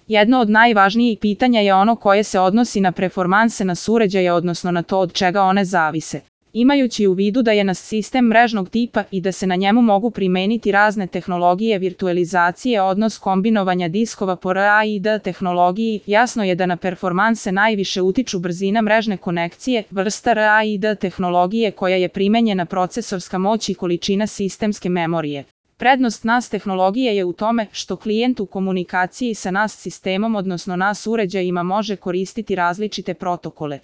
Jedno od najvažnijih pitanja je ono koje se odnosi na performanse NAS uređaja, odnosno na to od čega one zavise. Imajući u vidu da je NAS sistem mrežnog tipa i da se na njemu mogu primeniti razne tehnologije virtualizacije, odnos kombinovanja diskova po RAID tehnologiji, jasno je da na performanse najviše utiču brzina mrežne konekcije, vrsta RAID tehnologije koja je primenjena, procesorska moć i količina sistemske memorije. Prednost NAS tehnologije je u tome što klijent u komunikaciji sa NAS sistemom, odnosno NAS uređajima, može koristiti različite protokole.